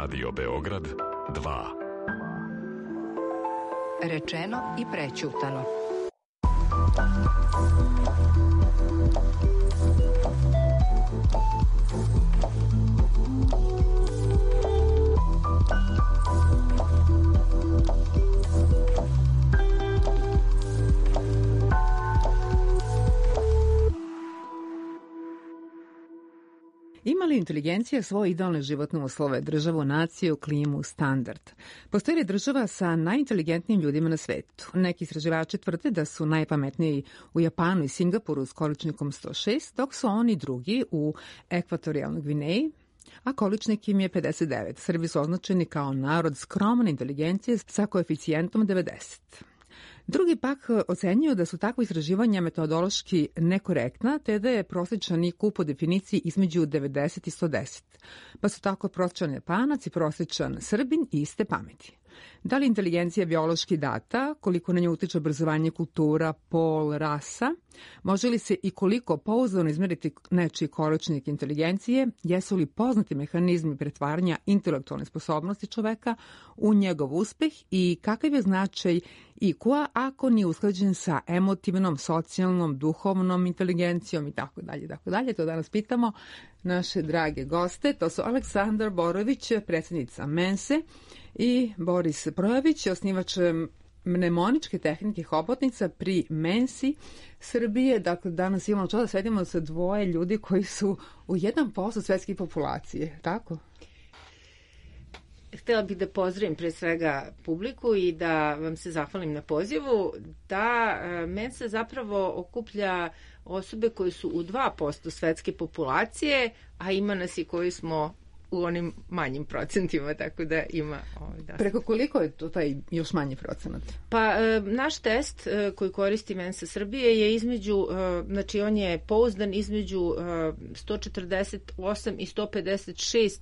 Radio Beograd 2. Rečeno i prećutano. Ima li inteligencija svoje idealne životne uslove, državu, naciju, klimu, standard? Postoji li država sa najinteligentnijim ljudima na svetu? Neki istraživači tvrde da su najpametniji u Japanu i Singapuru s količnikom 106, dok su oni drugi u Ekvatorijalnoj Gvineji, a količnik im je 59. Srbi su označeni kao narod skromne inteligencije sa koeficijentom 90. Drugi pak ocenjuju da su takva istraživanja metodološki nekorektna, te da je prosječan IQ po definiciji između 90 i 110. Pa su tako prosječan Japanac i prosječan Srbin iste pameti. Da li inteligencija biološki data, koliko na nju utiče obrazovanje, kultura, pol, rasa? Može li se i koliko pouzdano izmeriti nečiji količnik inteligencije? Jesu li poznati mehanizmi pretvaranja intelektualne sposobnosti čoveka u njegov uspeh i kakav je značaj IQ-a ako nije usklađen sa emotivnom, socijalnom, duhovnom inteligencijom i tako dalje, tako dalje. To danas pitamo naše drage goste. To su Aleksandar Borović, predsjednica Mense, i Boris Projević, osnivač mnemoničke tehnike hobotnica pri Mensi Srbije. Dakle, danas imamo čast da sedimo sa dvoje ljudi koji su u 1% svetske populacije, tako? Htela bih da pozdravim pre svega publiku i da vam se zahvalim na pozivu. Da Mensa zapravo okuplja osobe koji su u 2% svetske populacije, a ima nas i koji smo u onim manjim procentima, tako da ima... Preko koliko je to taj još manji procenat? Pa, naš test koji koristi Mensa Srbije je između, znači on je pouzdan između 148 i 156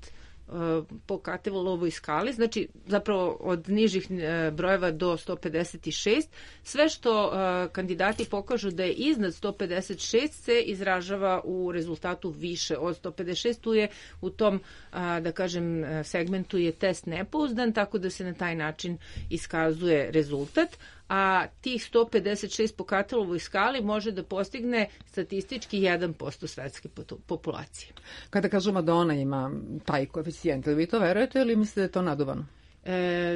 po Katevolovoj skali, znači zapravo od nižih brojeva do 156. Sve što kandidati pokažu da je iznad 156 se izražava u rezultatu više od 156. Tu je u tom, da kažem, segmentu je test nepouzdan, tako da se na taj način iskazuje rezultat, a tih 156 po Katelovoj skali može da postigne statistički 1% svetske populacije. Kada kažemo da ona ima taj koeficijent, vi to verujete ili mislite da je to naduvano?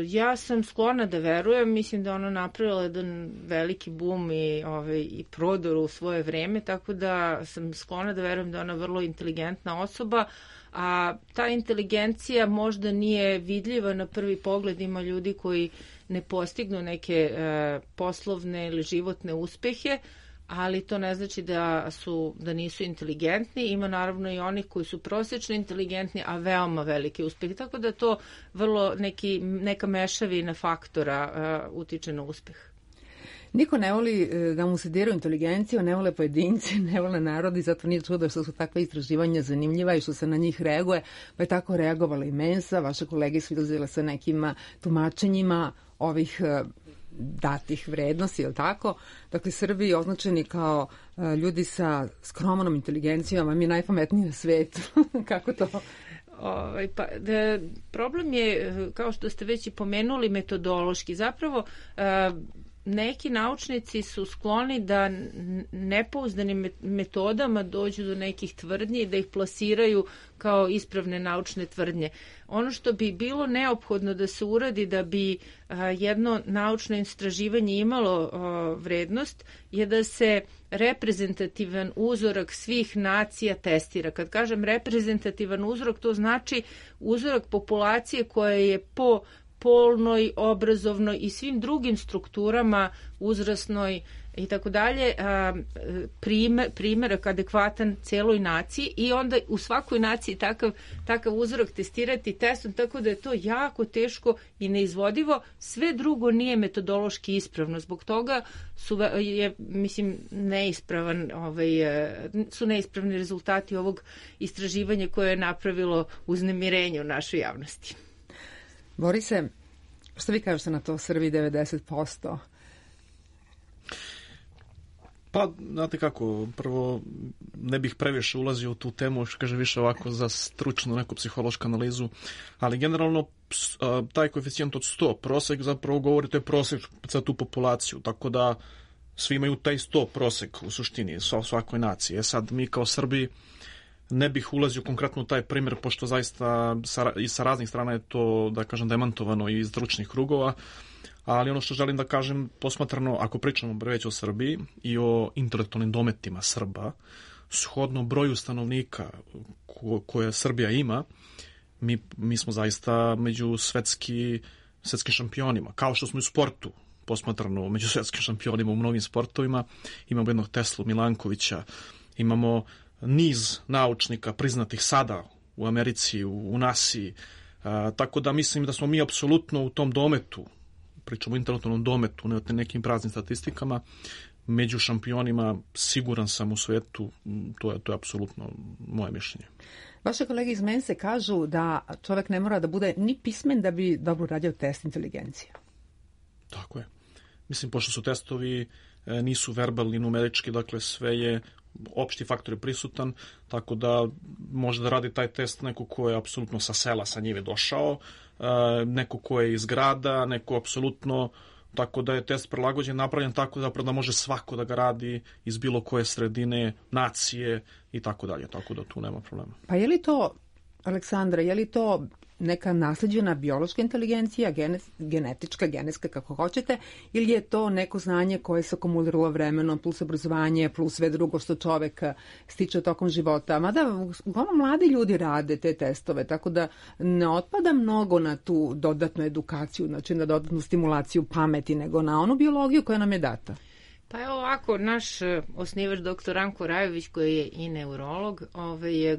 Ja sam sklona da verujem, mislim da ona napravila jedan veliki bum i prodor u svoje vreme, tako da sam sklona da verujem da je ona vrlo inteligentna osoba, a ta inteligencija možda nije vidljiva na prvi pogled. Ima ljudi koji ne postignu neke poslovne ili životne uspehe, ali to ne znači da nisu inteligentni. Ima naravno i onih koji su prosječno inteligentni, a veoma velike uspehe. Tako da to vrlo neka mešavina faktora utiče na uspeh. Niko ne voli da mu se diraju inteligenciju, ne vole pojedinci, ne vole narodi, zato nije čudo što su takve istraživanja zanimljiva i što se na njih reaguje, pa je tako reagovala i Mensa. Vaše kolege su izlazile sa nekim tumačenjima ovih datih vrednosti, je li tako? Dakle, Srbi označeni kao ljudi sa skromnom inteligencijom, a mi najpametniji na svetu. Kako to? Problem je, kao što ste već i pomenuli, metodološki. Zapravo, neki naučnici su skloni da nepouzdanim metodama dođu do nekih tvrdnji i da ih plasiraju kao ispravne naučne tvrdnje. Ono što bi bilo neophodno da se uradi da bi jedno naučno istraživanje imalo vrednost je da se reprezentativan uzorak svih nacija testira. Kad kažem reprezentativan uzorak, to znači uzorak populacije koja je po polnoj, obrazovnoj i svim drugim strukturama, uzrasnoj i tako dalje, primjerak adekvatan celoj naciji i onda u svakoj naciji takav uzorak testirati testom, tako da je to jako teško i neizvodivo. Sve drugo nije metodološki ispravno. Zbog toga su neispravni rezultati ovog istraživanja koje je napravilo uznemirenje u našoj javnosti. Borise, što vi kažete na to, Srbi 90%? Pa, znate kako, prvo ne bih previše ulazio u tu temu, što kaže više ovako za stručnu neku psihološku analizu, ali generalno taj koeficijent od 100, prosek zapravo govori, to je prosek za tu populaciju, tako da svi imaju taj 100 prosek u suštini, svakoj naciji. Sad mi kao Srbi ne bih ulazio konkretno u taj primjer, pošto zaista i sa raznih strana je to, da kažem, demantovano i iz stručnih krugova, ali ono što želim da kažem, posmatrano, ako pričamo već o Srbiji i o intelektualnim dometima Srba, shodno broju stanovnika koje Srbija ima, mi smo zaista među svetskim šampionima, kao što smo u sportu posmatrano među svetskim šampionima u mnogim sportovima. Imamo jednog Teslu Milankovića, imamo niz naučnika priznatih sada u Americi, u NASA-i, tako da mislim da smo mi apsolutno u tom dometu, pričamo o intelektualnom dometu, ne o nekim praznim statistikama, među šampionima, siguran sam u svetu, to je apsolutno moje mišljenje. Vaše kolege iz Mense kažu da čovjek ne mora da bude ni pismen da bi dobro radio test inteligencije. Tako je. Mislim, pošto su testovi nisu verbalni, numerički, dakle sve je opšti faktor je prisutan, tako da može da radi taj test neko ko je apsolutno sa sela, sa njive došao, neko ko je iz grada, neko apsolutno, tako da je test prilagođen, napravljen tako da može svako da ga radi iz bilo koje sredine, nacije i tako dalje, tako da tu nema problema. Pa je li to, Aleksandra, je li to neka nasleđena biološka inteligencija, genetička, genetska, kako hoćete, ili je to neko znanje koje se akumuliralo vremenom, plus obrazovanje, plus sve drugo što čovek stiče tokom života. Mada uglavnom mladi ljudi rade te testove, tako da ne otpada mnogo na tu dodatnu edukaciju, znači na dodatnu stimulaciju pameti, nego na onu biologiju koja nam je data. Pa evo ovako, naš osnivač dr. Ranko Rajović, koji je i neurolog,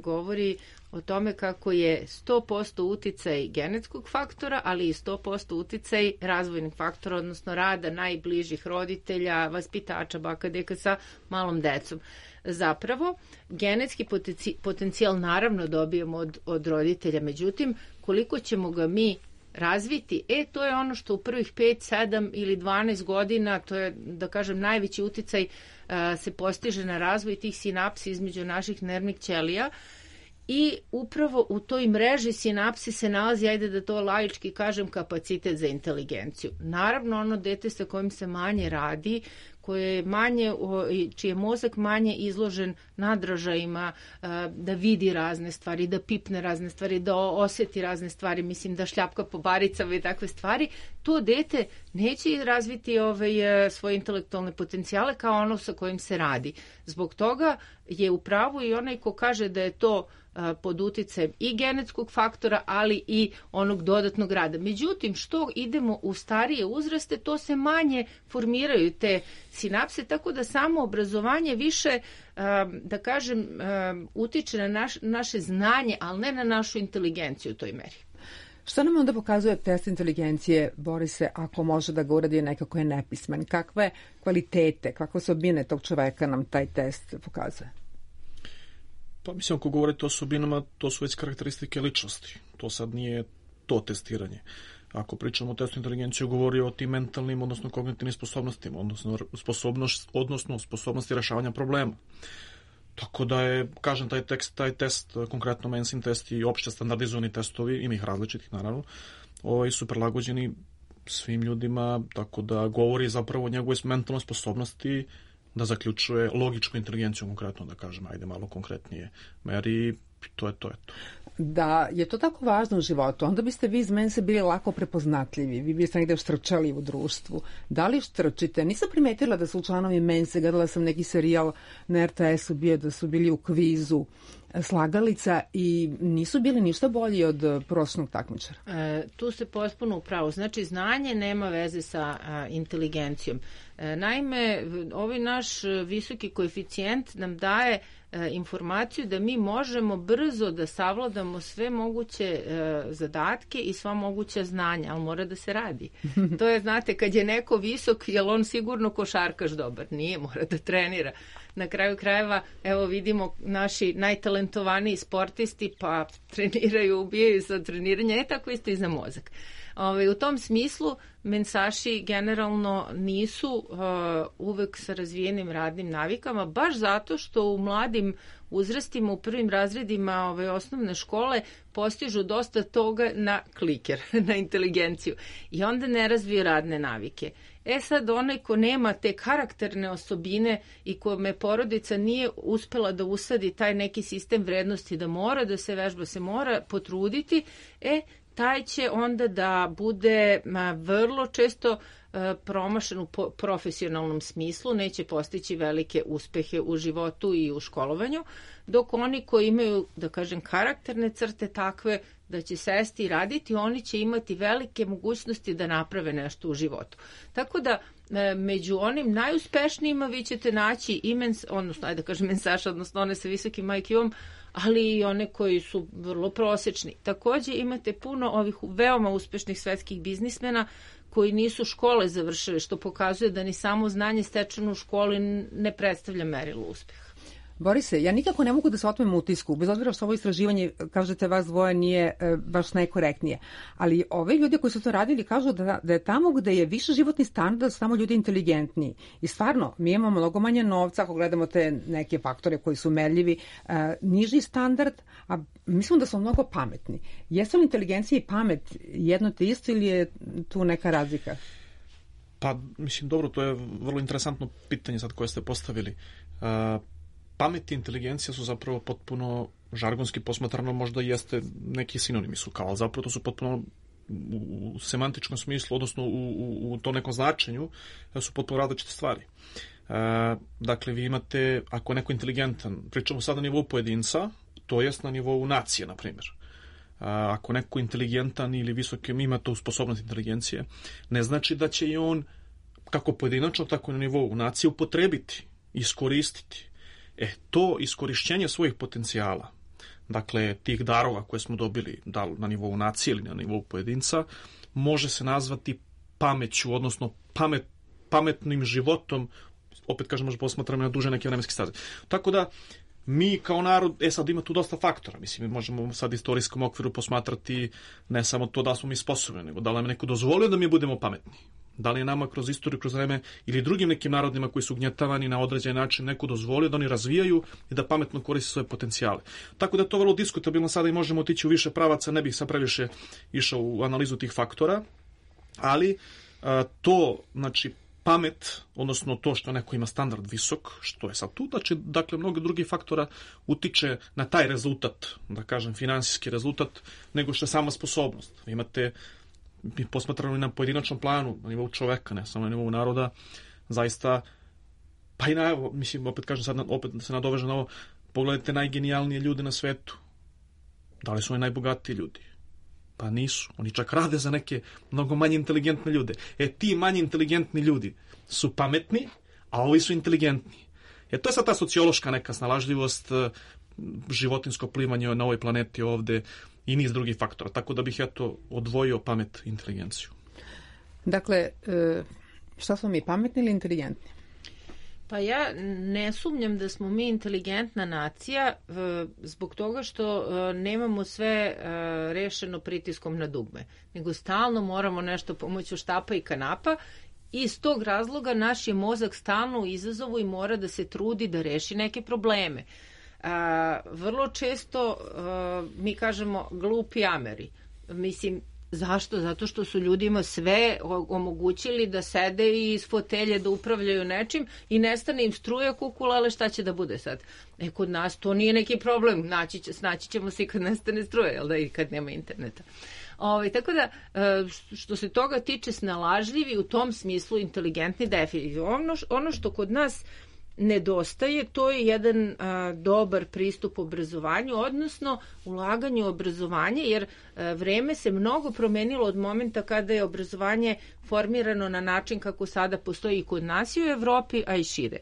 govori o tome kako je 100% uticaj genetskog faktora, ali i 100% uticaj razvojnih faktora, odnosno rada najbližih roditelja, vaspitača, baka, deka sa malom decom. Zapravo, genetski potencijal naravno dobijemo od roditelja, međutim, koliko ćemo ga mi razviti, to je ono što u prvih 5, 7 ili 12 godina, to je, da kažem, najveći uticaj se postiže na razvoj tih sinapsi između naših nervnih ćelija i upravo u toj mreži sinapsi se nalazi, ajde da to laički kažem, kapacitet za inteligenciju. Naravno, ono dete sa kojim se manje radi, koje je manje, čiji je mozak manje izložen nadražajima, da vidi razne stvari, da pipne razne stvari, da osjeti razne stvari, mislim da šljapka po baricama i takve stvari, to dete neće razviti svoje intelektualne potencijale kao ono sa kojim se radi. Zbog toga je u pravu i onaj ko kaže da je to pod uticajem i genetskog faktora, ali i onog dodatnog rada. Međutim, što idemo u starije uzraste, to se manje formiraju te sinapse, tako da samo obrazovanje više, da kažem, utiče na naše znanje, ali ne na našu inteligenciju u toj meri. Što nam onda pokazuje test inteligencije, Borise, ako može da ga uradi neko ko je nepismen? Kakve kvalitete, kakve osobine tog čoveka nam taj test pokazuje? Pa mislim, ako govorite o osobinama, to su već karakteristike ličnosti. To sad nije to testiranje. Ako pričamo o testu inteligencije, govori o tim mentalnim, odnosno kognitivnim sposobnostima, odnosno sposobnosti rešavanja problema. Tako da je, kažem, taj test, konkretno Mensin test i opšte standardizovani testovi, ima ih različitih naravno, su prilagođeni svim ljudima, tako da govori zapravo o njegovoj mentalnoj sposobnosti da zaključuje logičku inteligenciju, konkretno da kažem, ajde malo konkretnije meri, to je to. Da je to tako važno u životu, onda biste vi iz Mense bili lako prepoznatljivi, vi biste negde štrčali u društvu. Da li štrčite? Nisam primetila da su članovi Mense, gledala sam neki serijal na RTS-u bio da su bili u kvizu slagalica i nisu bili ništa bolji od prosječnog takmičara. Tu se potpuno upravo. Znači, znanje nema veze sa inteligencijom. Naime, ovaj naš visoki koeficijent nam daje informaciju da mi možemo brzo da savladamo sve moguće zadatke i sva moguća znanja, ali mora da se radi. To je, znate, kad je neko visok, je li on sigurno košarkaš dobar? Nije, mora da trenira. Na kraju krajeva, evo vidimo, naši najtalentovaniji sportisti pa treniraju, ubijaju za treniranje, tako isto i za mozak. U tom smislu mensaši generalno nisu uvek sa razvijenim radnim navikama, baš zato što u mladim uzrastima, u prvim razredima osnovne škole postižu dosta toga na kliker, na inteligenciju i onda ne razviju radne navike. Sad onaj ko nema te karakterne osobine i kome porodica nije uspela da usadi taj neki sistem vrednosti da mora da se vežba, se mora potruditi, taj će onda da bude vrlo često promašen u profesionalnom smislu, neće postići velike uspehe u životu i u školovanju, dok oni koji imaju, da kažem, karakterne crte takve da će sesti i raditi, oni će imati velike mogućnosti da naprave nešto u životu. Tako da među onim najuspešnijima vi ćete naći mensaša, odnosno one sa visokim IQ-om, ali i one koji su vrlo prosečni. Takođe imate puno ovih veoma uspešnih svetskih biznismena koji nisu škole završili, što pokazuje da ni samo znanje stečeno u školi ne predstavlja merilo uspeha. Borise, ja nikako ne mogu da se otmem utisku, bez obzira što ovo istraživanje, kažete, vas dvoje nije baš najkorektnije, ali ove ljudi koji su to radili kažu da je tamo gde je više životni standard, da su tamo ljudi inteligentniji. I stvarno, mi imamo mnogo manje novca, ako gledamo te neke faktore koji su merljivi, niži standard, a mislim da smo mnogo pametni. Jesu li inteligencija i pamet jedno te isto ili je tu neka razlika? Pa, mislim, dobro, to je vrlo interesantno pitanje sad koje ste postavili. Pamet i inteligencija su zapravo potpuno žargonski posmatrano, možda jeste neki sinonimi su kao, ali zapravo to su potpuno u semantičkom smislu, odnosno u tom nekom značenju, su potpuno različite stvari. Dakle, vi imate, ako je neko inteligentan, pričamo sad na nivou pojedinca, to jest na nivou nacije, na primjer. Ako neko inteligentan ili visoki ima tu sposobnost inteligencije, ne znači da će i on, kako pojedinačno, tako i na nivou nacije, upotrebiti, iskoristiti. To iskorišćenje svojih potencijala, dakle tih darova koje smo dobili, da li na nivou nacije ili na nivou pojedinca, može se nazvati pameću, odnosno pametnim životom, opet kažem, možda posmatramo na duže neke vremenske staze. Tako da, mi kao narod, sad ima tu dosta faktora, mislim, mi možemo sad istorijskom okviru posmatrati ne samo to da smo mi sposobni, nego da li nam neko dozvolio da mi budemo pametni. Da li je nama kroz istoriju, kroz vreme ili drugim nekim narodima koji su ugnjetavani na određen način neko dozvolio da oni razvijaju i da pametno koriste svoje potencijale. Tako da je to vrlo diskutabilno sada i možemo otići u više pravaca, ne bih sad previše išao u analizu tih faktora, ali to, znači, pamet, odnosno to što neko ima standard visok, što je sad tu, dakle, mnogo drugih faktora utiče na taj rezultat, da kažem, finansijski rezultat, nego što je sama sposobnost. Vi imate, mi posmatramo i na pojedinačnom planu, na nivou čoveka, ne samo na nivou naroda, zaista, pa i na, mislim, opet kažem sad, opet se nadovežem na ovo, pogledajte najgenijalnije ljude na svetu. Da li su oni najbogatiji ljudi? Pa nisu. Oni čak rade za neke mnogo manje inteligentne ljude. Ti manje inteligentni ljudi su pametni, a ovi su inteligentni. To je sad ta sociološka neka snalažljivost, životinsko plivanje na ovoj planeti ovde i niz drugih faktora. Tako da bih odvojio pamet i inteligenciju. Dakle, šta smo mi, pametni ili inteligentni? Pa ja ne sumnjam da smo mi inteligentna nacija zbog toga što nemamo sve rešeno pritiskom na dugme, nego stalno moramo nešto pomoću štapa i kanapa i iz tog razloga naš je mozak stalno u izazovu i mora da se trudi da reši neke probleme. Vrlo često mi kažemo glupi Ameri. Mislim, zašto? Zato što su ljudima sve omogućili da sede i iz fotelje da upravljaju nečim i nestane im struja kukula, ali šta će da bude sad? Kod nas to nije neki problem. Snaći ćemo se i kad nestane struja, jel da, i kad nema interneta. Tako da, što se toga tiče, snalažljivi, u tom smislu inteligentni definitivno. Ono što kod nas nedostaje, to je jedan dobar pristup obrazovanju, odnosno ulaganju u obrazovanje, jer vreme se mnogo promenilo od momenta kada je obrazovanje formirano na način kako sada postoji i kod nas i u Evropi, a i šire.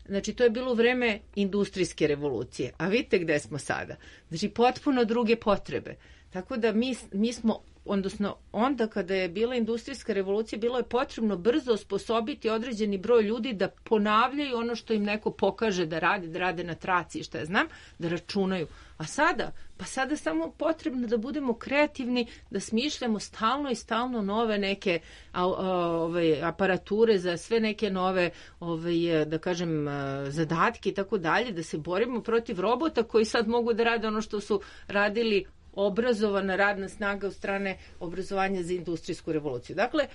Znači, to je bilo vreme industrijske revolucije, a vidite gde smo sada. Znači, potpuno druge potrebe. Tako da mi smo, odnosno onda kada je bila industrijska revolucija, bilo je potrebno brzo osposobiti određeni broj ljudi da ponavljaju ono što im neko pokaže da rade na traci i šta ja znam, da računaju. A sada pa sada samo potrebno da budemo kreativni, da smišljamo stalno i stalno nove neke aparature za sve neke nove da kažem zadatke i tako dalje, da se borimo protiv robota koji sad mogu da rade ono što su radili obrazovana radna snaga od strane obrazovanja za industrijsku revoluciju. Dakle,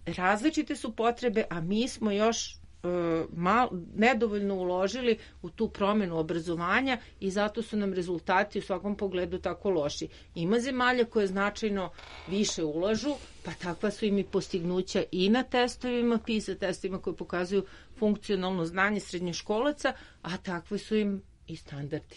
različite su potrebe, a mi smo još nedovoljno uložili u tu promenu obrazovanja i zato su nam rezultati u svakom pogledu tako loši. Ima zemalja koje značajno više ulažu, pa takva su im i postignuća i na testovima, PISA testovima koji pokazuju funkcionalno znanje srednjoškolaca, a takvi su im i standardi.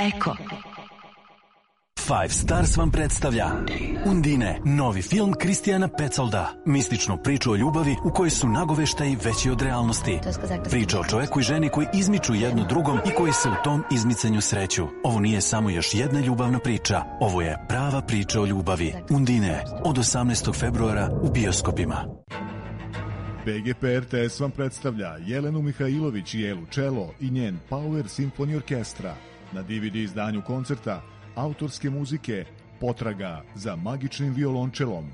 Eko. Five Stars vam predstavlja Undine, novi film Kristijana Petsolda. Mističnu priču o ljubavi u kojoj su nagoveštaji veći od realnosti. Priča o čoveku i ženi koji izmiču jedno drugom i koji se u tom izmicanju sreću. Ovo nije samo još jedna ljubavna priča. Ovo je prava priča o ljubavi. Undine, od 18. februara u bioskopima. BGP RTS vam predstavlja Jelenu Mihajlović i Elu Čelo i njen Power Symphony Orkestra. Na DVD izdanju koncerta autorske muzike Potraga za magičnim violončelom,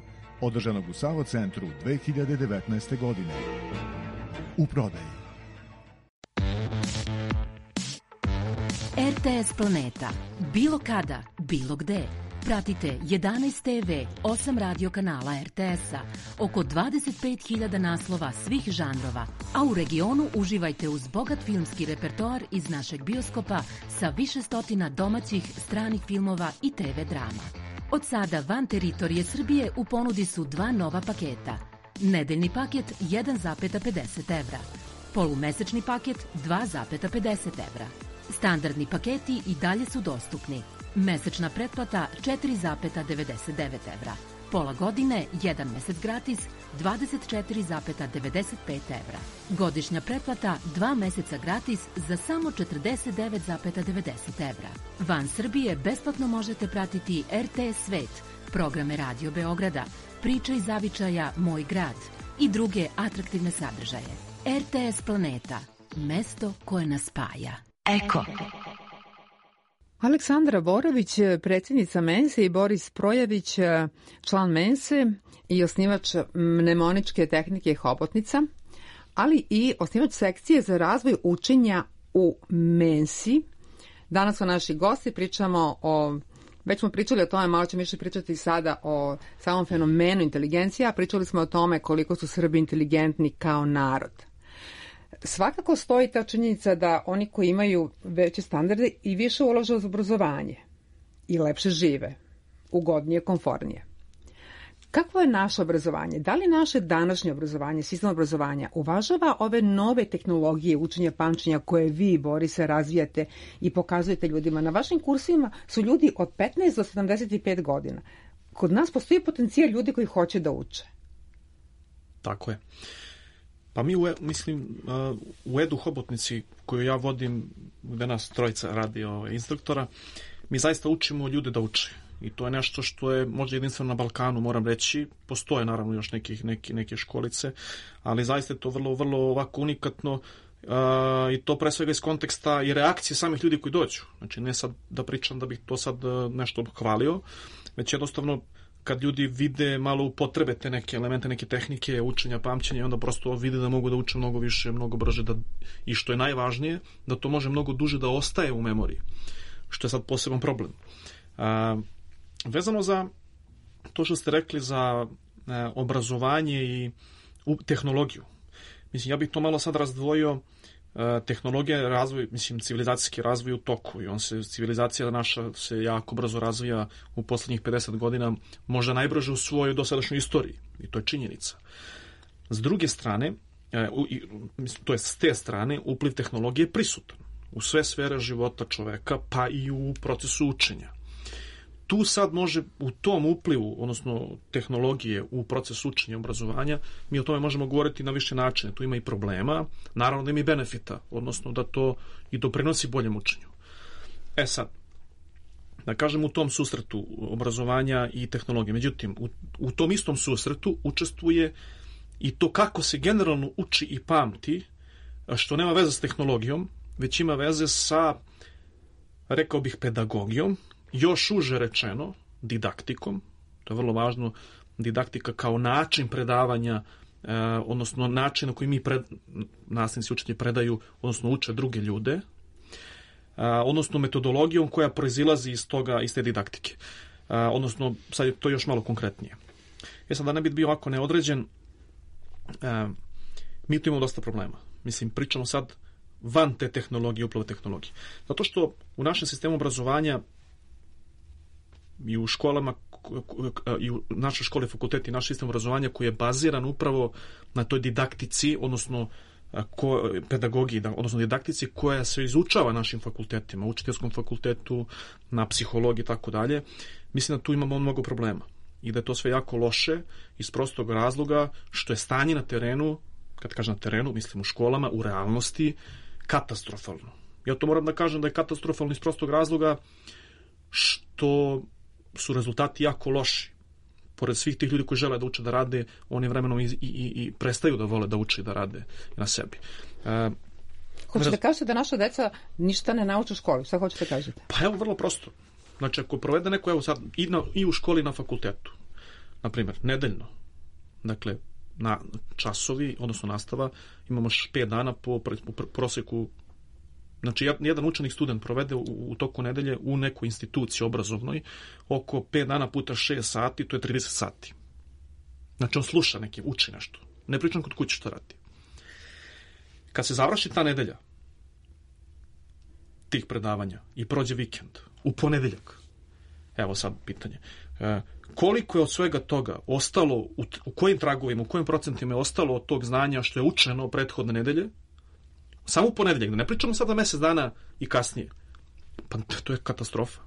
održanog u Sava centru 2019. godine. U prodaji. RTS Planeta. Bilo kada, bilo gde. Pratite 11 TV, 8 radio kanala RTS-a, oko 25.000 naslova svih žanrova, a u regionu uživajte uz bogat filmski repertoar iz našeg bioskopa sa više stotina domaćih, stranih filmova i TV drama. Od sada van teritorije Srbije u ponudi su dva nova paketa. Nedeljni paket 1,50 evra. Polumesečni paket 2,50 evra. Standardni paketi i dalje su dostupni. Mesečna pretplata 4,99 evra. Pola godine, 1 mesec gratis, 24,95 evra. Godišnja pretplata 2 meseca gratis za samo 49,90 evra. Van Srbije besplatno možete pratiti RTS Svet, programe Radio Beograda, Priče iz zavičaja Moj grad i druge atraktivne sadržaje. RTS Planeta, mesto koje nas spaja. Eko. Aleksandra Borović, predsjednica Mense, i Boris Projavić, član Mense i osnivač mnemoničke tehnike Hobotnica, ali i osnivač sekcije za razvoj učenja u Mensi. Danas su naši gosti, pričamo o, već smo pričali o tome, malo ćemo više pričati sada o samom fenomenu inteligencije, a pričali smo o tome koliko su Srbi inteligentni kao narod. Svakako stoji ta činjenica da oni koji imaju veće standarde i više ulažu u obrazovanje i lepše žive, ugodnije, komfornije. Kakvo je naše obrazovanje? Da li naše današnje obrazovanje, sistem obrazovanja, uvažava ove nove tehnologije učenja, pamćenja koje vi, Borise, razvijate i pokazujete ljudima? Na vašim kursima su ljudi od 15 do 75 godina. Kod nas postoji potencijal ljudi koji hoće da uče. Tako je. Pa mi, u Edu Hobotnici, koju ja vodim, gde nas trojica radi instruktora, mi zaista učimo ljude da uče. I to je nešto što je možda jedinstveno na Balkanu, moram reći. Postoje naravno još neke školice, ali zaista je to vrlo, vrlo ovako unikatno i to pre svega iz konteksta i reakcije samih ljudi koji dođu. Znači, ne sad da pričam da bih to sad nešto hvalio, već jednostavno kad ljudi vide malo upotrebe te neke elemente, neke tehnike učenja, pamćenja, onda prosto vide da mogu da uče mnogo više, mnogo brže, i što je najvažnije, da to može mnogo duže da ostaje u memoriji, što je sad poseban problem. Vezano za to što ste rekli za obrazovanje i tehnologiju, mislim, ja bih to malo sad razdvojio. Tehnologija, razvoj, mislim, civilizacijski razvoj u toku i civilizacija naša se jako brzo razvija u poslednjih 50 godina, možda najbrže u svojoj dosadašnjoj istoriji, i to je činjenica. S druge strane, to je s te strane, upliv tehnologije je prisutan u sve sfere života čoveka, pa i u procesu učenja. Tu sad može u tom uplivu, odnosno tehnologije u proces učenja i obrazovanja, mi o tome možemo govoriti na više načine. Tu ima i problema, naravno da ima i benefita, odnosno da to i doprinosi boljem učenju. Sad, da kažem, u tom susretu obrazovanja i tehnologije. Međutim, u tom istom susretu učestvuje i to kako se generalno uči i pamti, što nema veze s tehnologijom, već ima veze sa, rekao bih, pedagogijom, još uže rečeno, didaktikom. To je vrlo važno, didaktika kao način predavanja, odnosno način na koji mi nastavnici učitelji predaju, odnosno uče druge ljude, odnosno metodologijom koja proizilazi iz te didaktike. Odnosno, sad je to još malo konkretnije. Sad, da ne bi bio ovako neodređen, mi tu imamo dosta problema. Mislim, pričamo sad van te tehnologije, upravo tehnologije. Zato što u našem sistemu obrazovanja i u školama, i u našoj školi, fakulteti, naš sistem obrazovanja koji je baziran upravo na toj didaktici, odnosno pedagogiji, odnosno didaktici koja se izučava našim fakultetima, učiteljskom fakultetu, na psihologiji i tako dalje, mislim da tu imamo mnogo problema i da je to sve jako loše iz prostog razloga što je stanje na terenu, kad kažem na terenu, mislim u školama, u realnosti, katastrofalno. Ja to moram da kažem da je katastrofalno iz prostog razloga što su rezultati jako loši. Pored svih tih ljudi koji žele da uče da rade, oni vremenom i prestaju da vole da uče i da rade na sebi. Hoćete da kažete da naša deca ništa ne nauče u školi? Šta hoćete da kažete? Pa evo, vrlo prosto. Znači, ako provede neko, evo sad, i u školi i na fakultetu, na primjer, nedeljno, dakle, na časovi, odnosno nastava, imamo 5 dana po proseku. Znači, jedan učenik, student provede u toku nedelje u nekoj instituciji obrazovnoj oko 5 dana puta 6 sati, to je 30 sati. Znači, on sluša neki, uči nešto. Ne pričam kod kuće što radi. Kad se završi ta nedelja tih predavanja i prođe vikend, u ponedeljak, evo sad pitanje, koliko je od svega toga ostalo, u kojim tragovima, u kojim procentima je ostalo od tog znanja što je učeno prethodne nedelje, Samo u ponedeljak, da ne pričamo sada mesec dana i kasnije. Pa to je katastrofa.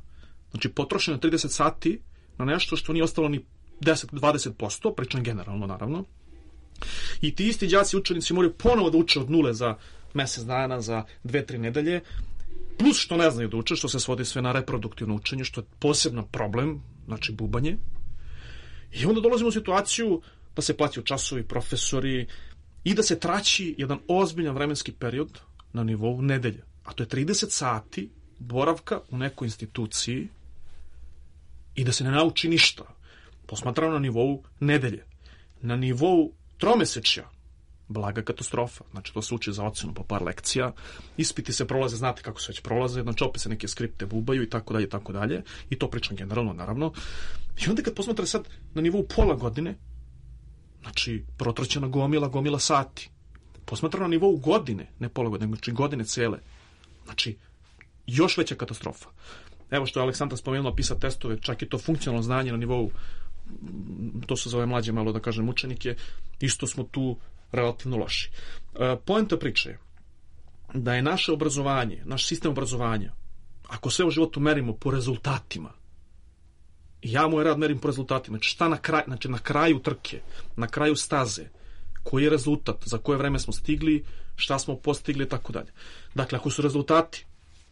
Znači, potrošeno 30 sati na nešto što nije ostalo ni 10-20%, pričam generalno, naravno. I ti isti đaci učenici moraju ponovo da uče od nule za mesec dana, za 2-3 nedelje, plus što ne znaju da uče, što se svodi sve na reproduktivno učenje, što je poseban problem, znači bubanje. I onda dolazimo u situaciju da se plaćaju časovi, profesori i da se traći jedan ozbiljan vremenski period na nivou nedelje. A to je 30 sati boravka u nekoj instituciji i da se ne nauči ništa. Posmatrano na nivou nedelje. Na nivou tromesečja blaga katastrofa. Znači, to se uči za ocenu po par lekcija, ispiti se prolaze, znate kako se već prolaze, znači opet se neke skripte bubaju i tako dalje, tako dalje. I to pričam generalno, naravno. I onda kad posmatra sad na nivou pola godine, znači, protraćena gomila sati. Posmatrano na nivou godine, ne pola godine, znači godine cele. Znači, još veća katastrofa. Evo što je Aleksandra spomenula, PISA testove, čak i to funkcionalno znanje na nivou, to se zove mlađe malo da kažem učenike, isto smo tu relativno loši. Poenta priče je da je naše obrazovanje, naš sistem obrazovanja, ako sve u životu merimo po rezultatima, ja moj rad merim po rezultatima, znači šta na kraju trke, na kraju staze, koji je rezultat, za koje vreme smo stigli, šta smo postigli i tako dalje. Dakle, ako su rezultati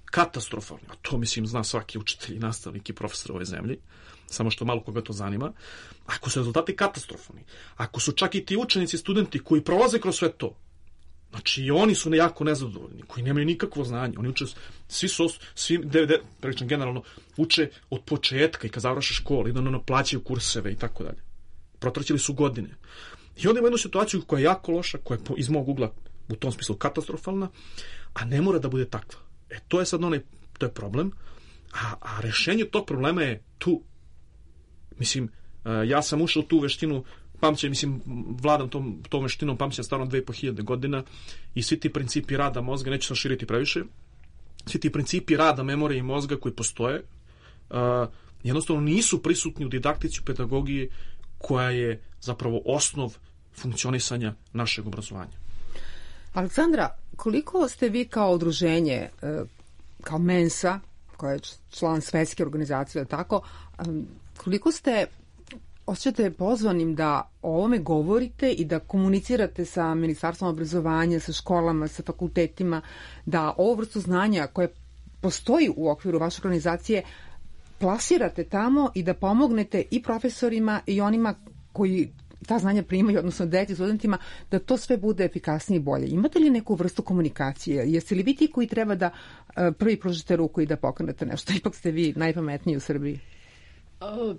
katastrofalni, a to mislim zna svaki učitelj i nastavnik i profesor u ovoj zemlji, samo što malo koga to zanima, ako su rezultati katastrofalni, ako su čak i ti učenici, studenti koji prolaze kroz sve to, znači i oni su jako nezadovoljni, koji nemaju nikakvo znanje, oni uče, pričam generalno, uče od početka i kad završe školu, i da plaćaju kurseve i tako dalje. Protraćili su godine. I onda ima jednu situaciju koja je jako loša, koja je iz mog ugla u tom smislu katastrofalna, a ne mora da bude takva. To je sad to je problem, a rešenje tog problema je tu. Mislim, ja sam ušao u tu veštinu pamćenja, mislim, vladam tom veštinom pamćenja stvarno 2500 godina i svi ti principi rada mozga, neću sam širiti previše, svi ti principi rada memorije i mozga koji postoje, jednostavno nisu prisutni u didaktici, u pedagogiji, koja je zapravo osnov funkcionisanja našeg obrazovanja. Aleksandra, koliko ste vi kao udruženje, kao Mensa, koja je član svetske organizacije, tako, koliko ste osjećate pozvanim da o ovome govorite i da komunicirate sa Ministarstvom obrazovanja, sa školama, sa fakultetima, da ovu vrstu znanja koje postoji u okviru vaše organizacije plasirate tamo i da pomognete i profesorima i onima koji ta znanja primaju, odnosno deci, studentima, da to sve bude efikasnije i bolje. Imate li neku vrstu komunikacije? Jeste li vi ti koji treba da prvi pružite ruku i da pokrenete nešto? Ipak ste vi najpametniji u Srbiji.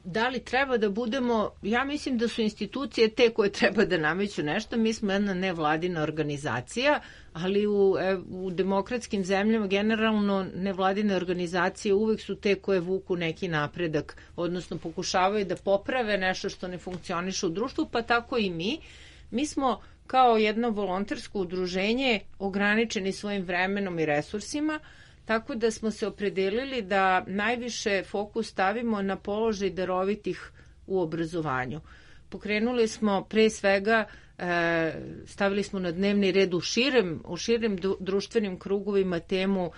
Da li treba da budemo, ja mislim da su institucije te koje treba da nameću nešto, mi smo jedna nevladina organizacija, ali u demokratskim zemljama generalno nevladine organizacije uvek su te koje vuku neki napredak, odnosno pokušavaju da poprave nešto što ne funkcioniše u društvu, pa tako i mi. Mi smo kao jedno volontersko udruženje ograničeni svojim vremenom i resursima, tako da smo se opredelili da najviše fokus stavimo na položaj darovitih u obrazovanju. Pokrenuli smo pre svega, stavili smo na dnevni red u širim društvenim krugovima temu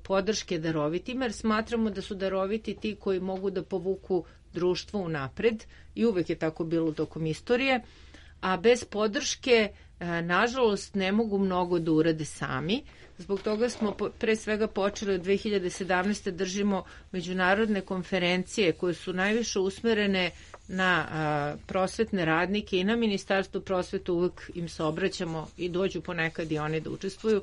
podrške darovitima, jer smatramo da su daroviti ti koji mogu da povuku društvo unapred i uvek je tako bilo tokom istorije, a bez podrške nažalost ne mogu mnogo da urade sami. Zbog toga smo pre svega počeli od 2017. držimo međunarodne konferencije koje su najviše usmerene na prosvetne radnike i na Ministarstvo prosvete, uvek im se obraćamo i dođu ponekad i oni da učestvuju.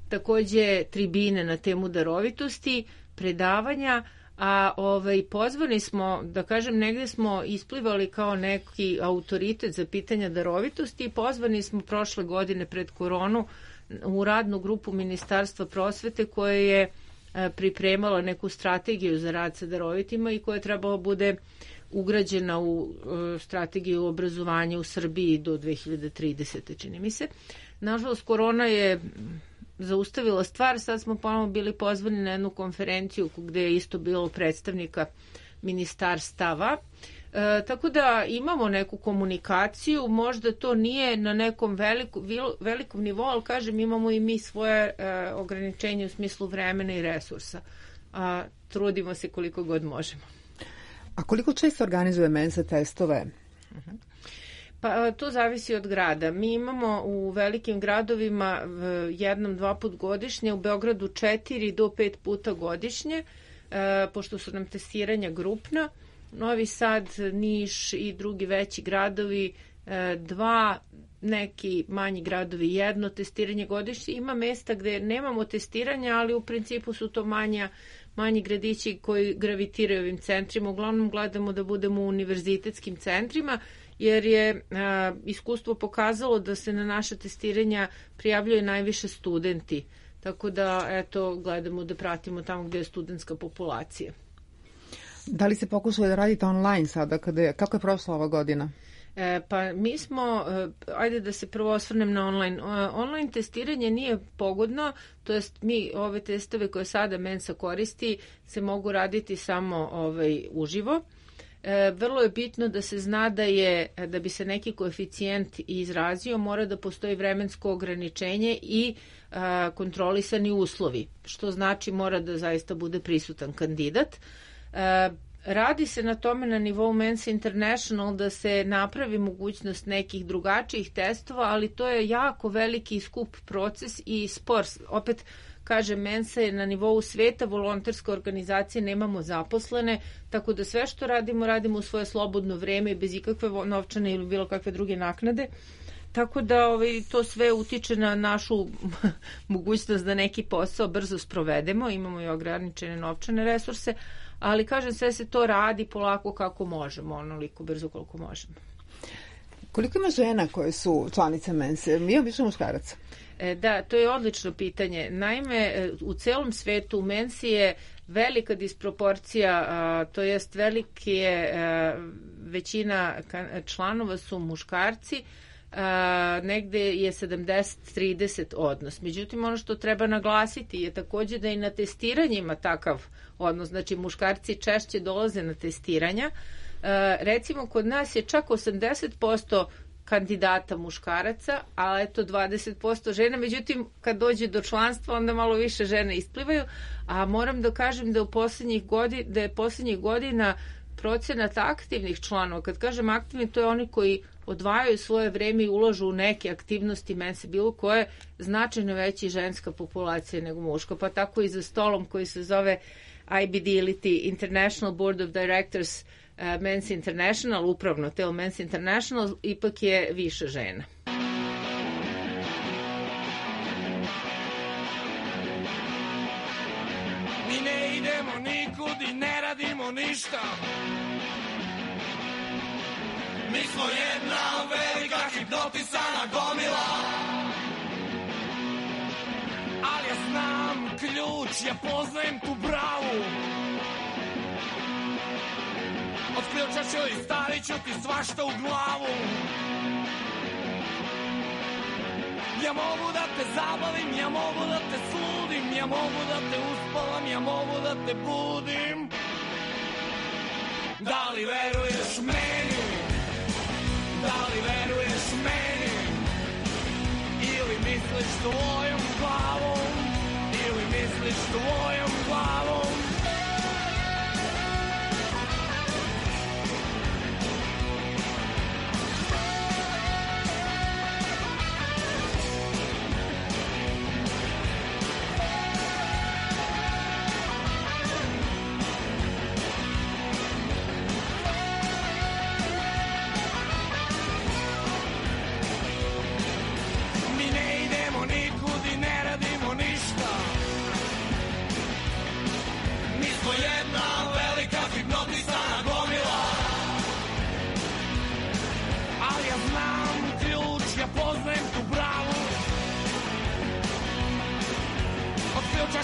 Takođe tribine na temu darovitosti, predavanja, a pozvani smo, da kažem, negde smo isplivali kao neki autoritet za pitanja darovitosti i pozvani smo prošle godine pred koronu u radnu grupu Ministarstva prosvete koja je pripremala neku strategiju za rad sa darovitima i koja je trebala bude ugrađena u strategiju obrazovanja u Srbiji do 2030. čini mi se. Nažalost, korona je zaustavila stvar, sad smo ponovno bili pozvani na jednu konferenciju gde je isto bilo predstavnika ministarstava Tako da imamo neku komunikaciju, možda to nije na nekom velikom nivou, ali kažem, imamo i mi svoje ograničenje u smislu vremena i resursa. Trudimo se koliko god možemo. A koliko često organizuje Mensa testove? Pa to zavisi od grada. Mi imamo u velikim gradovima 1-2 put godišnje, u Beogradu 4 do 5 puta godišnje, pošto su nam testiranja grupna. Novi Sad, Niš i drugi veći gradovi 2, neki manji gradovi 1 testiranje godišnje. Ima mesta gde nemamo testiranja, ali u principu su to manji gradići koji gravitiraju ovim centrima. Uglavnom gledamo da budemo u univerzitetskim centrima, jer je iskustvo pokazalo da se na naše testiranja prijavljaju najviše studenti. Tako da, eto, gledamo da pratimo tamo gde je studentska populacija. Da li se pokušali da radite online sada? Kako je prošla ova godina? Pa mi smo, ajde da se prvo osvrnem na online. Online testiranje nije pogodno, to jest mi ove testove koje sada Mensa koristi se mogu raditi samo uživo. Vrlo je bitno da se zna da bi se neki koeficijent izrazio, mora da postoji vremensko ograničenje i kontrolisani uslovi, što znači mora da zaista bude prisutan kandidat. Radi se na tome na nivou Mensa International da se napravi mogućnost nekih drugačijih testova, ali to je jako veliki i skup proces i spor. Opet, kažem, Mensa je na nivou sveta, volonterske organizacije nemamo zaposlene, tako da sve što radimo u svoje slobodno vreme i bez ikakve novčane ili bilo kakve druge naknade. Tako da to sve utiče na našu mogućnost da neki posao brzo sprovedemo, imamo i ograničene novčane resurse, ali kažem, sve se to radi polako kako možemo, onoliko brzo koliko možemo. Koliko ima žena koje su članice Mense? Ima više muškaraca? Da, to je odlično pitanje. Naime, u celom svetu u Mensi je velika disproporcija, to jest većina članova su muškarci, negde je 70-30 odnos. Međutim, ono što treba naglasiti je takođe da i na testiranjima takav odnos, znači muškarci češće dolaze na testiranja. Recimo, kod nas je čak 80% kandidata muškaraca, a eto 20% žena, međutim kad dođe do članstva onda malo više žene isplivaju, a moram da kažem da je poslednjih godina procenat aktivnih članova, kad kažem aktivni, to je oni koji odvajaju svoje vreme i ulažu u neke aktivnosti Mense bilo koje, značajno veći ženska populacija nego muška, pa tako i za stolom koji se zove IBD ili ti International Board of Directors Men's International, upravno telo Men's International, ipak je više žena. Mi ne idemo nikud i ne radimo ništa. Mi smo jedna velika hipnotisana gomila. Ali ja znam ključ, ja poznajem tu bravu. Od ključa ću i stavit ću ti svašta u glavu. Ja mogu da te zabavim, ja mogu da te sludim, ja mogu da te uspavam, ja mogu da te budim. Da li veruješ meni? Da li veruješ meni? Ili misliš tvojom glavom? Ili misliš tvojom glavom?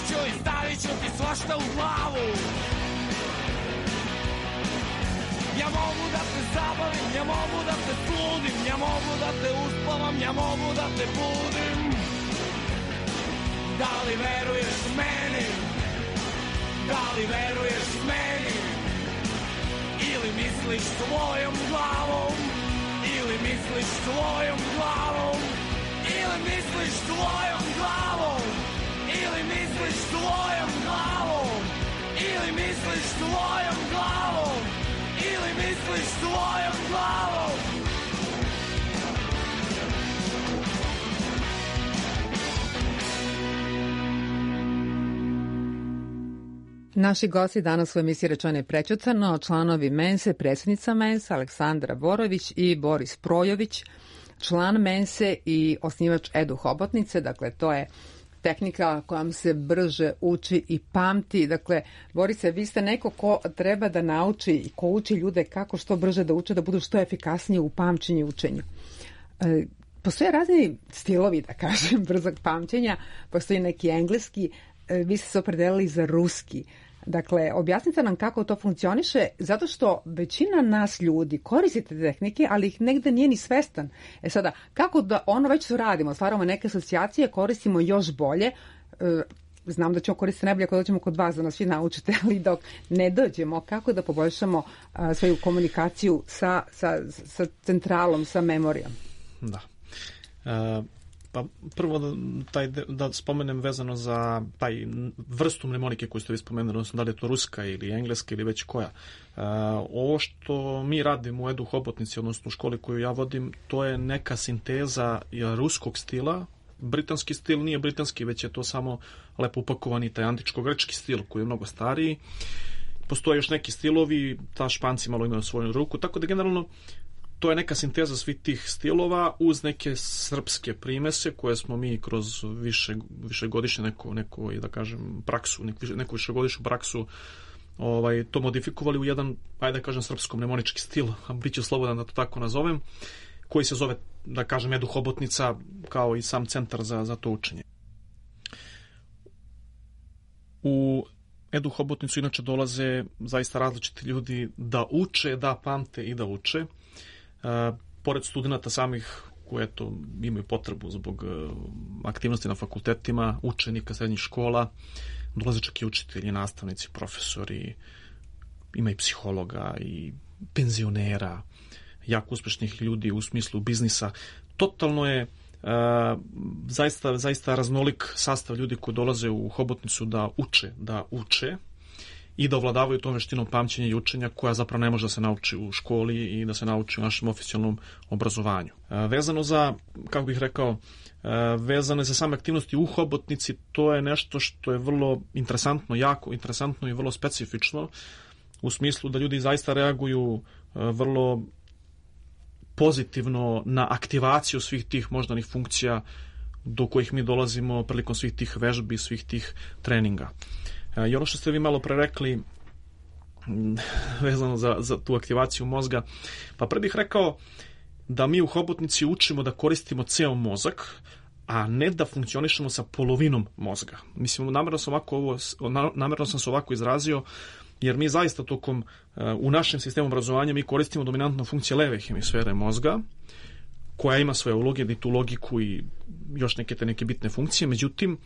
Ću i stavit ću ti svašta u glavu. Ja mogu da te zabavim, ja mogu da te sludim, ja mogu da te uspavam, ja mogu da te budim. Da li veruješ meni? Da li veruješ meni? Ili misliš misliš svojom glavom, ili misliš svojom glavom, ili misliš svojom glavom, ili misliš svojom glavom, ili misliš svojom glavom, ili misliš svojom glavom. Naši gosti danas u emisiji Rečeno i prećutano, članovi Mense, predsjednica Mense, Aleksandra Borović i Boris Projović, član Mense i osnivač Edu Hobotnice, dakle to je tehnika kojom se brže uči i pamti. Dakle, Borise, vi ste neko ko treba da nauči i ko uči ljude kako što brže da uče, da budu što efikasniji u pamćenju i učenju. Postoje razni stilovi, da kažem, brzog pamćenja, postoji neki engleski, vi ste se opredelili za ruski. Dakle, objasnite nam kako to funkcioniše, zato što većina nas ljudi koristite tehnike, ali ih negde nije ni svestan. Sada, kako da ono već radimo, stvaramo neke asocijacije, koristimo još bolje, znam da ćemo koristiti najbolje ako dođemo kod vas da nas svi naučite, ali dok ne dođemo, kako da poboljšamo svoju komunikaciju sa centralom, sa memorijom? Da. Pa prvo da spomenem vezano za taj vrstu mnemonike koju ste vi spomenuli, odnosno da li je to ruska ili engleska ili već koja. Ovo što mi radimo u Edu Hobotnici, odnosno u školi koju ja vodim, to je neka sinteza ruskog stila. Britanski stil nije britanski, već je to samo lepo upakovani taj antičko-grčki stil koji je mnogo stariji. Postoje još neki stilovi, ta Španci malo imaju svoju ruku, tako da generalno to je neka sinteza svih tih stilova uz neke srpske primese koje smo mi kroz višegodišnje neku da kažem praksu, neku višegodišnju praksu to modifikovali u jedan, ajde da kažem, srpsko-mnemonički stil, a bit ću slobodan da to tako nazovem, koji se zove, da kažem, Edu Hobotnica, kao i sam centar za to učenje. U Edu Hobotnicu inače dolaze zaista različiti ljudi da uče, da pamte i da uče. Pored studenta samih koji imaju potrebu zbog aktivnosti na fakultetima, učenika srednjih škola, dolaze čak i učitelji, nastavnici, profesori, ima i psihologa i penzionera, jako uspešnih ljudi u smislu biznisa. Totalno je zaista raznolik sastav ljudi koji dolaze u Hobotnicu da uče i da ovladavaju tom veštinom pamćenja i učenja koja zapravo ne može da se nauči u školi i da se nauči u našem oficijalnom obrazovanju. Vezano za, kako bih rekao, vezano za same aktivnosti u Hobotnici, to je nešto što je vrlo interesantno, jako interesantno i vrlo specifično, u smislu da ljudi zaista reaguju vrlo pozitivno na aktivaciju svih tih moždanih funkcija do kojih mi dolazimo prilikom svih tih vežbi, svih tih treninga. I ono što ste vi malo pre rekli vezano za tu aktivaciju mozga, pa pre bih rekao da mi u Hobotnici učimo da koristimo ceo mozak, a ne da funkcionišemo sa polovinom mozga. Mislim, namerno sam se ovako izrazio, jer mi zaista u našem sistemu obrazovanja mi koristimo dominantno funkcije leve hemisfere mozga, koja ima svoje uloge, i tu logiku i još neke bitne funkcije, međutim,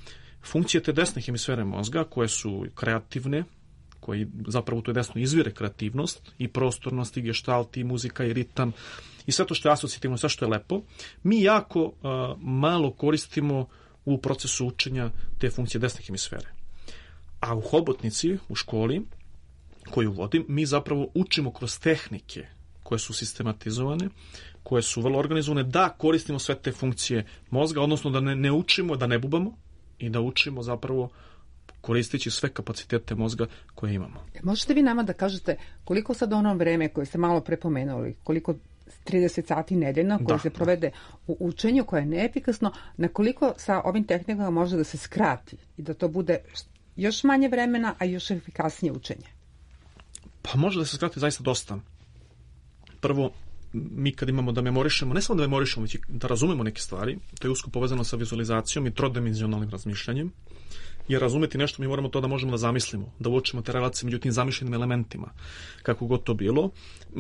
funkcije te desne hemisfere mozga, koje su kreativne, koji zapravo u toj desnoj izvire kreativnost i prostornost i gestalt i muzika i ritam i sve to što je asocijativno, sve što je lepo, mi jako malo koristimo u procesu učenja te funkcije desne hemisfere. A u Hobotnici, u školi koju vodim, mi zapravo učimo kroz tehnike koje su sistematizovane, koje su vrlo organizovane, da koristimo sve te funkcije mozga, odnosno da ne učimo, da ne bubamo, i da učimo zapravo koristeći sve kapacitete mozga koje imamo. Možete vi nama da kažete koliko sad ono vreme koje ste malo prepomenuli, koliko 30 sati nedeljno koje se provede u učenju koje je neefikasno, na koliko sa ovim tehnikama može da se skrati i da to bude još manje vremena, a još efikasnije učenje? Pa može da se skrati zaista dosta. Prvo, mi kad imamo da memorišemo, ne samo da memorišemo, već da razumemo neke stvari, to je usko povezano sa vizualizacijom i trodimenzionalnim razmišljanjem, jer razumeti nešto mi moramo to da možemo da zamislimo, da uočimo te relacije među tim zamišljenim elementima, kako god to bilo,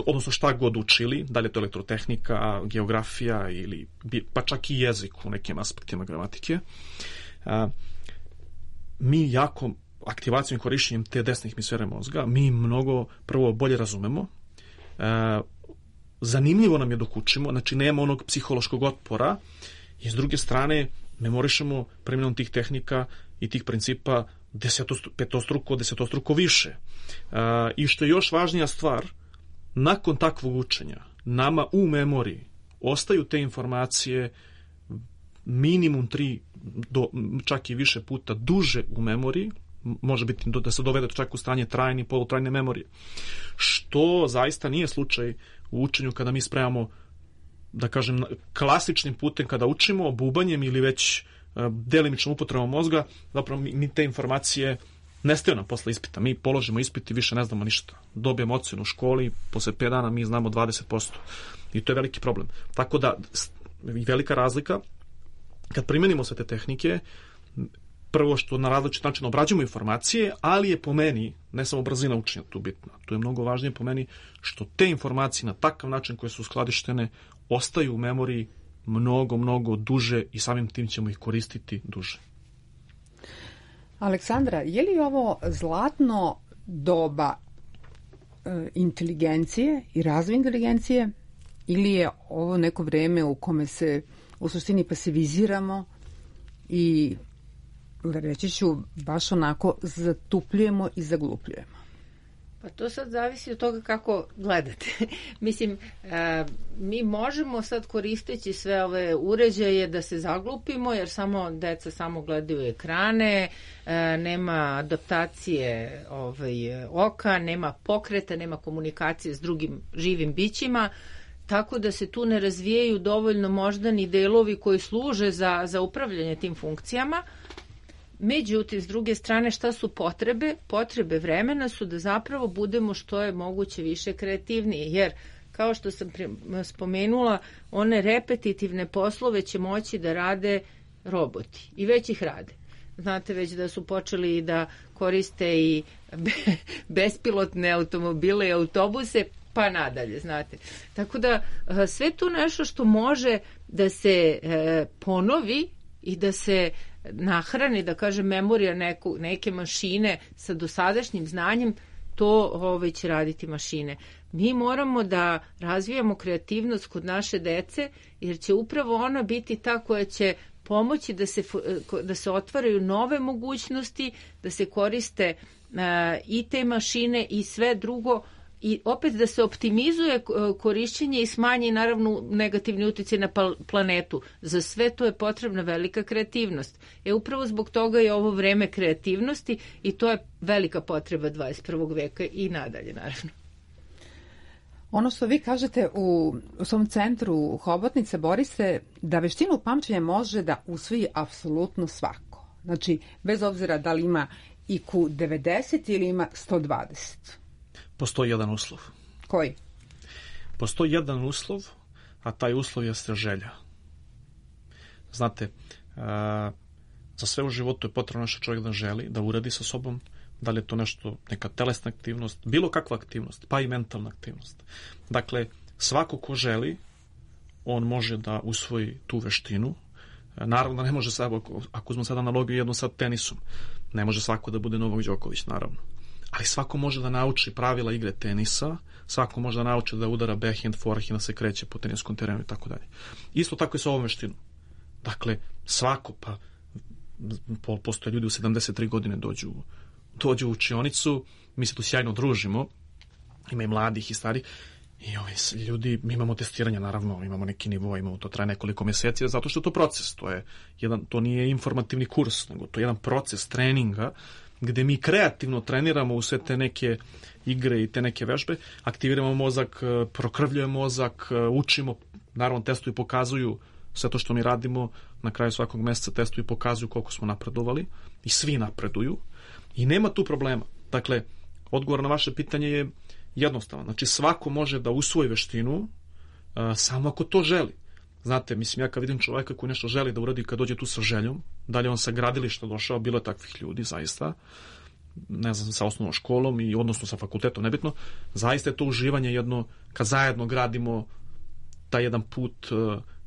odnosno šta god učili, da li je to elektrotehnika, geografija ili pa čak i jezik u nekim aspektima gramatike. Mi jako aktivacijom i korišćenjem te desne hemisfere mozga, mi mnogo prvo bolje razumemo, zanimljivo nam je dok učimo, znači nema onog psihološkog otpora, i s druge strane memorišemo primjenom tih tehnika i tih principa desetostruko više. I što je još važnija stvar, nakon takvog učenja nama u memoriji ostaju te informacije minimum 3 do čak i više puta duže u memoriji, može biti da se dovede čak u stanje trajne i polutrajne memorije, što zaista nije slučaj u učenju kada mi spremamo, da kažem, klasičnim putem kada učimo, bubanjem ili već delimičnom upotrebom mozga, zapravo mi te informacije nestaju nam posle ispita. Mi položimo ispit i više ne znamo ništa. Dobijemo ocenu u školi, posle 5 dana mi znamo 20%. I to je veliki problem. Tako da, velika razlika, kad primenimo sve te tehnike, prvo što na različit način obrađujemo informacije, ali je po meni, ne samo brzina učenja tu bitna, tu je mnogo važnije po meni što te informacije na takav način koje su skladištene ostaju u memoriji mnogo duže i samim tim ćemo ih koristiti duže. Aleksandra, je li ovo zlatno doba inteligencije i razvoja inteligencije ili je ovo neko vreme u kome se u suštini pasiviziramo i, reći ću, baš onako zatupljujemo i zaglupljujemo? Pa to sad zavisi od toga kako gledate. Mislim, mi možemo sad koristeći sve ove uređaje da se zaglupimo, jer deca samo gledaju ekrane, nema adaptacije oka, nema pokreta, nema komunikacije s drugim živim bićima, tako da se tu ne razvijaju dovoljno moždani delovi koji služe za upravljanje tim funkcijama. Međutim, s druge strane, šta su potrebe? Potrebe vremena su da zapravo budemo što je moguće više kreativniji, jer kao što sam spomenula, one repetitivne poslove će moći da rade roboti i već ih rade. Znate već da su počeli da koriste i bespilotne automobile i autobuse, pa nadalje, znate. Tako da sve to nešto što može da se ponovi i da se nahrani, da kažem, memorija neke mašine sa dosadašnjim znanjem, to će raditi mašine. Mi moramo da razvijamo kreativnost kod naše dece, jer će upravo ona biti ta koja će pomoći da se otvaraju nove mogućnosti, da se koriste i te mašine i sve drugo, i opet da se optimizuje korišćenje i smanji naravno negativni uticaj na planetu. Za sve to je potrebna velika kreativnost. Upravo zbog toga je ovo vreme kreativnosti i to je velika potreba 21. veka i nadalje, naravno. Ono što vi kažete u svom centru Hobotnice, Borise, da veštinu pamćenja može da usvoji apsolutno svako. Znači, bez obzira da li ima IQ 90 ili ima 120. Postoji jedan uslov. Koji? Postoji jedan uslov, a taj uslov jeste želja. Znate, za sve u životu je potrebno naš čovjek da želi, da uradi sa sobom, da li je to nešto, neka telesna aktivnost, bilo kakva aktivnost, pa i mentalna aktivnost. Dakle, svako ko želi, on može da usvoji tu veštinu. Naravno da ne može, ako uzmemo sad analogiju jednu sa tenisom, ne može svako da bude Novak Đoković, naravno. Ali svako može da nauči pravila igre tenisa, svako može da nauči da udara backhand, forehand, da se kreće po teniskom terenu i tako dalje. Isto tako i sa ovom veštinom. Dakle, svako, pa postoje ljudi u 73 godine dođu u učionicu, mi se tu sjajno družimo, ima i mladih i starih, i ovi ljudi, mi imamo testiranja, naravno, imamo neki nivo, to traje nekoliko mjeseci, zato što je to proces, to nije informativni kurs, nego to je jedan proces treninga, gde mi kreativno treniramo u sve te neke igre i te neke vežbe, aktiviramo mozak, prokrvljujemo mozak, učimo, naravno testuju i pokazuju sve to što mi radimo, na kraju svakog mjeseca testuju i pokazuju koliko smo napredovali i svi napreduju i nema tu problema. Dakle, odgovor na vaše pitanje je jednostavan. Znači, svako može da usvoji veštinu samo ako to želi. Znate, mislim, ja kad vidim čovjeka koji nešto želi da uradi, kad dođe tu sa željom, da li on sa gradilišta došao, bilo je takvih ljudi, zaista, ne znam, sa osnovnom školom i odnosno sa fakultetom, nebitno, zaista je to uživanje jedno, kad zajedno gradimo taj jedan put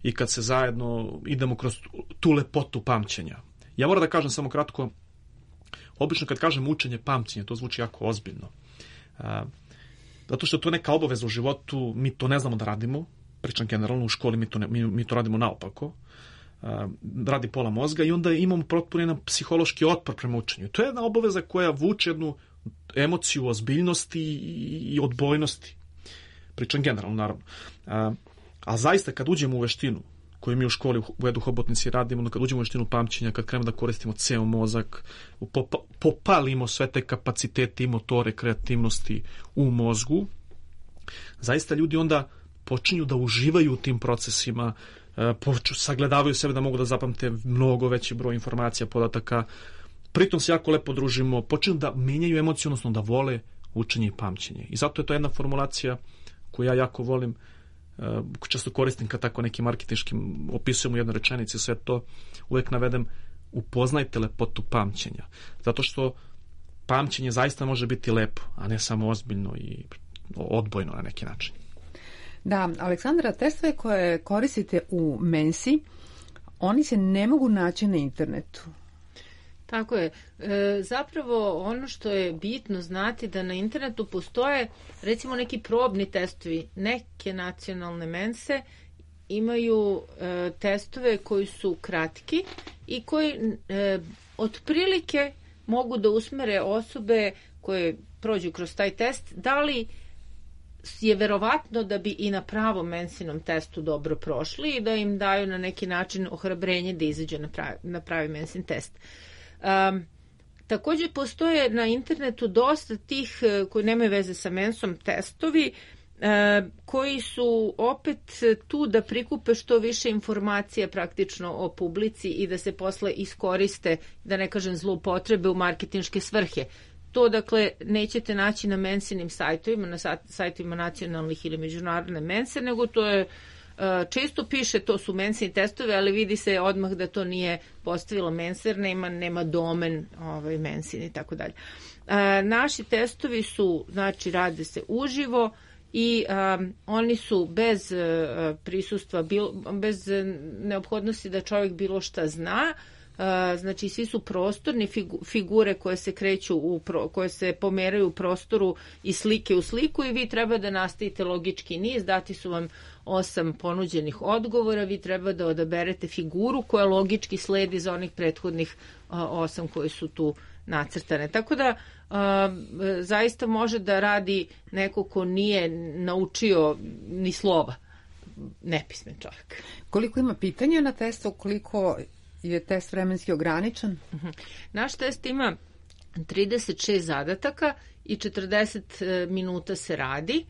i kad se zajedno idemo kroz tu lepotu pamćenja. Ja moram da kažem samo kratko, obično kad kažem učenje pamćenja, to zvuči jako ozbiljno. zato što je to neka obaveza u životu, mi to ne znamo da radimo, pričam generalno, u školi mi to radimo naopako, radi pola mozga i onda imamo potpuno jedan psihološki otpor prema učenju. To je jedna obaveza koja vuče jednu emociju ozbiljnosti i odbojnosti. Pričam generalno, naravno. A zaista kad uđemo u veštinu, koju mi u školi u Edu Hobotnici radimo, kad uđemo u veštinu pamćenja, kad krenemo da koristimo ceo mozak, popalimo sve te kapacitete i motore kreativnosti u mozgu, zaista ljudi onda počinju da uživaju u tim procesima, sagledavaju sebe da mogu da zapamte mnogo veći broj informacija, podataka, pritom se jako lepo družimo, počinju da menjaju emociju, odnosno da vole učenje i pamćenje. I zato je to jedna formulacija koju ja jako volim, često koristim kad tako neki marketinški opisujem u jednoj rečenici, sve to uvek navedem, upoznajte lepotu pamćenja. Zato što pamćenje zaista može biti lepo, a ne samo ozbiljno i odbojno na neki način. Da, Aleksandra, testove koje koristite u Mensi, oni se ne mogu naći na internetu. Tako je. Zapravo ono što je bitno znati da na internetu postoje recimo neki probni testovi. Neke nacionalne mense imaju testove koji su kratki i koji otprilike mogu da usmere osobe koje prođu kroz taj test, da li je verovatno da bi i na pravom mensinom testu dobro prošli i da im daju na neki način ohrabrenje da izađu na pravi mensin test. Također postoje na internetu dosta tih koji nemaju veze sa mensom testovi koji su opet tu da prikupe što više informacija praktično o publici i da se posle iskoriste, da ne kažem zloupotrebe u marketinške svrhe. To, dakle, nećete naći na mensinim sajtovima, na sajtovima nacionalnih ili međunarodne mense, nego to je, često piše to su mensini testovi, ali vidi se odmah da to nije postavila menser, nema domen mensin i tako dalje. Naši testovi su, znači, rade se uživo i oni su bez prisustva, bez neophodnosti da čovjek bilo šta zna. Znači svi su prostorni, figure koje se kreću koje se pomeraju u prostoru i slike u sliku i vi treba da nastavite logički niz, dati su vam 8 ponuđenih odgovora, vi treba da odaberete figuru koja logički sledi za onih prethodnih 8 koji su tu nacrtane. Tako da zaista može da radi neko ko nije naučio ni slova, nepismen čovjek. Koliko ima pitanja na testu, koliko je test vremenski ograničen? Naš test ima 36 zadataka i 40 minuta se radi.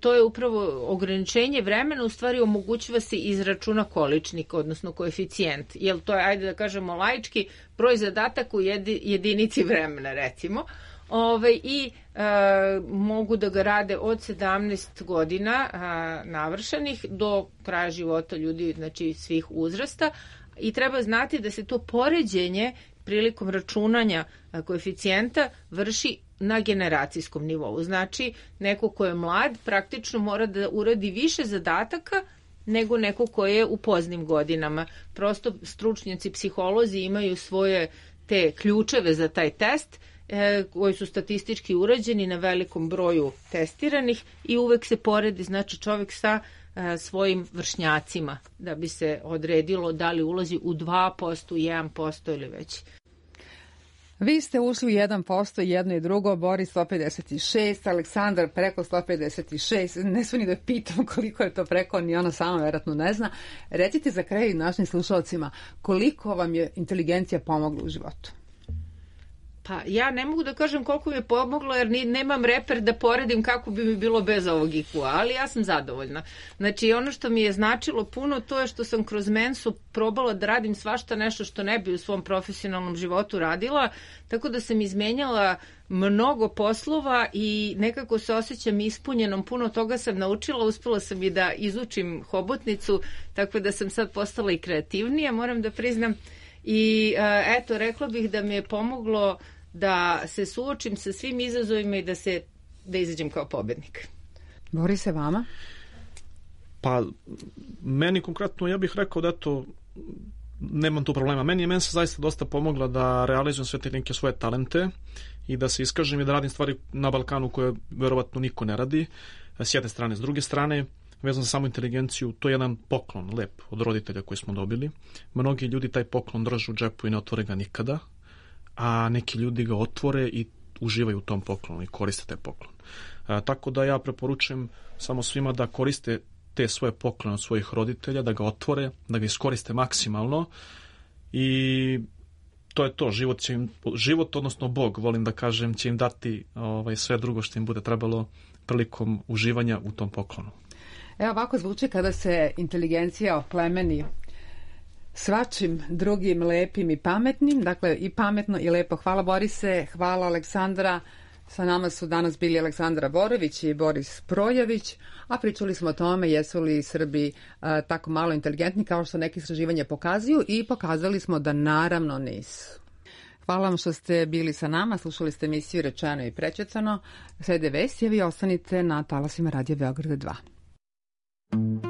To je upravo ograničenje vremena, u stvari omogućava se izračuna količnik, odnosno koeficijent. Jer to je, ajde da kažemo laički, broj zadataka u jedinici vremena, recimo. I mogu da ga rade od 17 godina navršenih do kraja života ljudi, znači svih uzrasta. I treba znati da se to poređenje prilikom računanja koeficijenta vrši na generacijskom nivou. Znači, neko ko je mlad praktično mora da uradi više zadataka nego neko ko je u poznim godinama. Prosto stručnjaci, psiholozi imaju svoje te ključeve za taj test koji su statistički urađeni na velikom broju testiranih i uvek se poredi, znači, čovjek sa svojim vršnjacima da bi se odredilo da li ulazi u 2%, 1% ili već. Vi ste ušli u 1%, jedno i drugo, Boris 156, Aleksandar preko 156, ne sve ni da pitam koliko je to preko, ni ona sama verovatno ne zna. Recite za kraj našim slušalcima, koliko vam je inteligencija pomogla u životu? Pa ja ne mogu da kažem koliko mi je pomoglo jer nemam reper da poredim kako bi mi bilo bez ovog IQ-a, ali ja sam zadovoljna. Znači ono što mi je značilo puno to je što sam kroz mensu probala da radim svašta nešto što ne bi u svom profesionalnom životu radila, tako da sam izmenjala mnogo poslova i nekako se osjećam ispunjenom, puno toga sam naučila, uspela sam i da izučim hobotnicu, tako da sam sad postala i kreativnija, moram da priznam. I eto, rekla bih da mi je pomoglo da se suočim sa svim izazovima i da izađem kao pobednik. Borise, vama? Pa, meni konkretno, ja bih rekao da eto, nemam tu problema. Meni je mensa zaista dosta pomogla da realizujem sve te neke svoje talente i da se iskažem i da radim stvari na Balkanu koje verovatno niko ne radi, s jedne strane. S druge strane, vezano za samu inteligenciju, to je jedan poklon lep od roditelja koji smo dobili. Mnogi ljudi taj poklon drže u džepu i ne otvore ga nikada, a neki ljudi ga otvore i uživaju u tom poklonu i koriste taj poklon. Tako da ja preporučujem samo svima da koriste te svoje poklone od svojih roditelja, da ga otvore, da ga iskoriste maksimalno i to je to. Život, odnosno Bog, volim da kažem, će im dati sve drugo što im bude trebalo prilikom uživanja u tom poklonu. Evo ovako zvuči kada se inteligencija oplemeni svačim drugim lepim i pametnim, dakle i pametno i lepo. Hvala Borise, hvala Aleksandra. Sa nama su danas bili Aleksandra Borović i Boris Projević, a pričali smo o tome jesu li Srbi tako malo inteligentni kao što neke istraživanja pokazuju i pokazali smo da naravno nisu. Hvala vam što ste bili sa nama, slušali ste emisiju Rečeno i prečutano. Slede vesti, vi ostanite na talasima Radija Beograda 2.